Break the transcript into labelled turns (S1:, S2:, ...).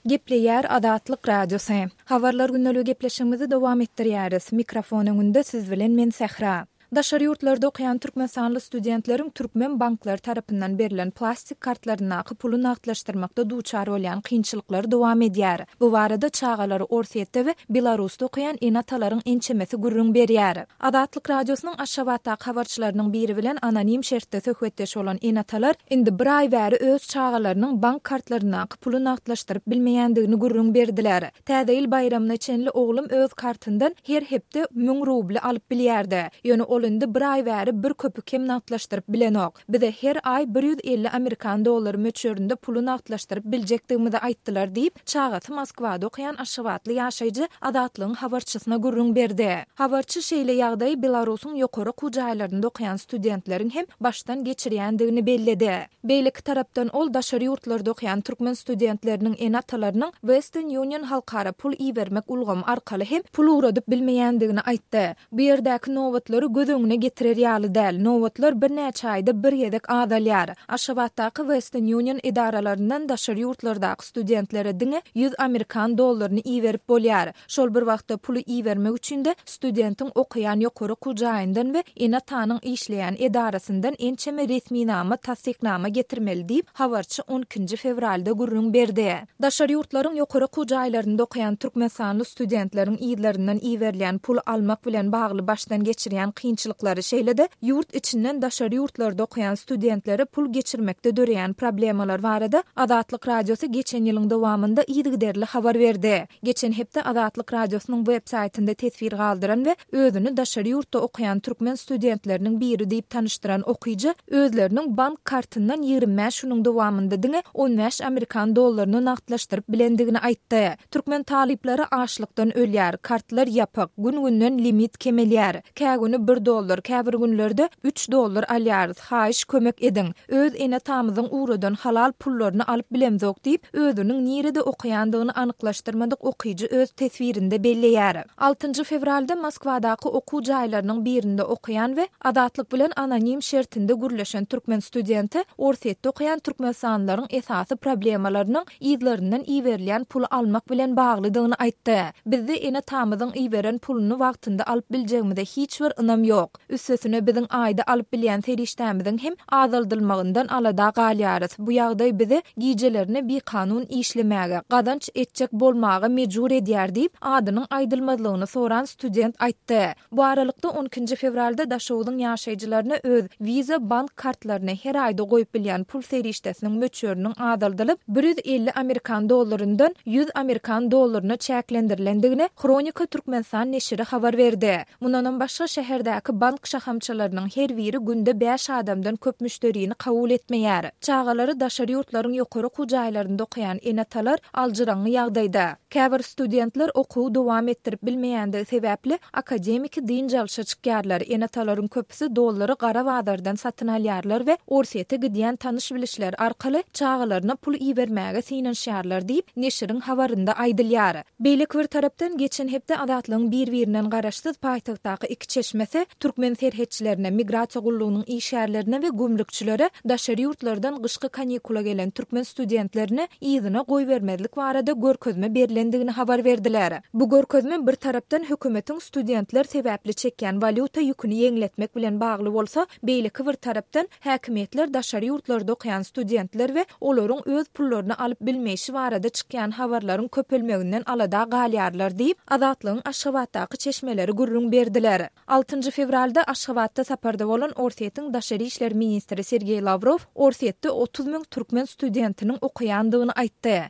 S1: Gepleýär Azatlyk Radiosy. Habarlar gündeligi gepleşigimizi dowam etdirýäris. Mikrofon öňünde siz bilen men Sähra. Daşary ýurtlarda okaýan türkmenistanly studentleriň türkmen banklary tarapyndan berlen plastik kartlaryndaky puly nagtlaşdyrmakda duçar bolýan kynçylyklary dowam edýär. Bu barada çagalary Orsýetde we Belarusda okaýan ene-atalaryň ençemesi gürrüň berýär. Azatlyk Radiosynyň Aşgabatdaky habarçylarynyň biri bilen anonim şertde söhbetdeş bolan ene-atalar indi bir aý bäri öz çagalarynyň bank kartlaryndaky puly nagtlaşdyryp bilmeýändigini gürrüň berdiler. Täze ýyl baýramyna çenli oglum öz kartyndan her hepde müň rubly alyp bilýärdi. Ýöne ol indi bir aý bäri bir köpük hem nagtlaşdyryp bilenok. Bize her aý 150 amerikan dollary möçberinde puly nagtlaşdyryp biljekdigimizi aýtdylar diýip, çagasy Moskwada okaýan aşgabatly ýaşaýjy Azatlygyň habarçysyna gürrüň berdi. Habarçy şeýle ýagdaýy Belarusyň ýokary okuw jaýlarynda okaýan studentleriň hem başdan geçirýändigini belledi. Beýleki tarapdan ol daşary ýurtlarda okaýan türkmen studentleriniň ene-atalarynyň Western Union halkara pul ibermek ulgamy arkaly hem pul ugradyp bilmeýändigini aýtdy. Bu ýerdäki nobatlary göz öňüne getirer ýaly däl. Nobatlar birnäçe aýda bir gezek azalýar. Aşgabatdaky Western Union edaralaryndan daşary ýurtlardaky studentlere diňe 100 amerikan dollaryny iberip bolýar. Şol bir wagtda puly ibermek üçin-de studentiň okaýan ýokary okuw jaýyndan we ene-atanyň işleýän edarasyndan ençeme resminama, tassyknama getirmeli diýip, habarçy on ikinji fewralda gürrüň berdi. Daşary ýurtlaryň ýokary okuw jaýlarynda okaýan türkmenistanly studentleriň yzlaryndan iberilýän pul almak bilen bagly başdan geçirýän kynçylyklary, şeýle-de ýurt içinden daşary ýurtlarda okaýan studentlere pul geçirmekde döreýän problemalar barada Azatlyk Radiosy geçen ýylyň dowamynda yzygiderli habar berdi. Geçen hepde Azatlyk Radiosynyň web saýtynda teswir galdyran we özüni daşary ýurtda okaýan türkmen studentleriniň biri diýip tanyşdyran okyjy özleriniň bank kartyndan 25 günüň dowamynda diňe 15 amerikan dollaryny nagtlaşdyryp bilendigini aýtdy. Türkmen talyplary açlykdan ölýär, kartlar ýapyk, gün-günden limit kemelýär. Kä güni bir dollar, käbir günlerde üç dollar alýarys, haýyş kömek ediň. Öz ene-atamyzyň ugradan halal pullaryny alyp bilemzok diýip, özüniň nirede okaýandygyny anyklaşdyrmadyk okyjy öz teswirinde belleýär. Altynjy fewralda Moskwadaky okuw jaýlarynyň birinde okaýan we Azatlyk bilen anonim şertinde gürleşen türkmen studenti Orsýetde okaýan türkmenistanlylaryň esasy problemalarynyň yzlaryndan iberilýän puly almak bilen baglydygyny aýtdy. Bizde ene-atamyzyň iberen puluny wagtynda alyp biljegimize hiç bir ynam ýok. Üstesine biziň aýda alyp bilýän serişdämiziň hem azaldylmagyndan alada galýarys. Bu ýagdaý bizi gijelerine bikanun işlemäge, gazanç etjek bolmaga mejbur edýär diýip, adynyň aýdylmazlygyny soran student aýtdy. Bu aralykda, on ikinji fewralda Daşoguzyň ýaşaýjylaryna öz Visa bank kartlaryna her aýda goýup bilýän pul serişdesiniň möçberiniň azaldylyp, 150 amerikan dollaryndan 100 amerikan dollaryna çäklendirilendigini Hronika Türkmenistan neşiri habar berdi. Mundanam başga, şäherdäki bank şahamçalarynyň her biri günde bäş adamdan köp müşderini kabul etmeýär. Çagalary daşary ýurtlaryň ýokary okuw jaýlarynda okaýan ene-atalar aljyraňňy ýagdaýda. Käbir studentler okuwy dowam etdirip bilmeýändigi sebäpli, akademiki dynç alşa çykýarlar, ene-atalaryň köpüsi dollary gara bazardan satyn alýarlar we Orsýete gidýän tanyş-bilişleri arkaly çagalaryna pul ibermäge synanyşýarlar diýip, neşiriň habarynda aýdylýar. Beýleki bir tarapdan, geçen hepde Azatlygyň bir-birinden garaşsyz paýtagtdaky iki çeşmesi türkmen serhetçilerine, migrasiýa gullugynyň işgärlerine we gümrükçilere daşary ýurtlardan gyşky kanikula gelen türkmen studentlerini yzyna goýbermezlik barada görkezme berlendigini habar berdiler. Bu görkezme bir tarapdan hökümetiň studentler sebäpli çekýän walýuta ýüküni ýeňletmek bilen bagly bolsa, beýleki bir tarapdan häkimiýetler daşary ýurtlarda okaýan studentler we olaryň öz pullaryny alyp bilmeýşi barada çykýan habarlaryň köpelmeginden alada galýarlar diýip, Azatlygyň Aşgabatdaky çeşmeleri gürrüň berdiler. Altynjy fewralda Aşgabatda saparda bolan Orsýetiň daşary işler ministri Sergeý Lawrow Orsýetde 30 müň türkmen studentiniň okaýandygyny aýtdy.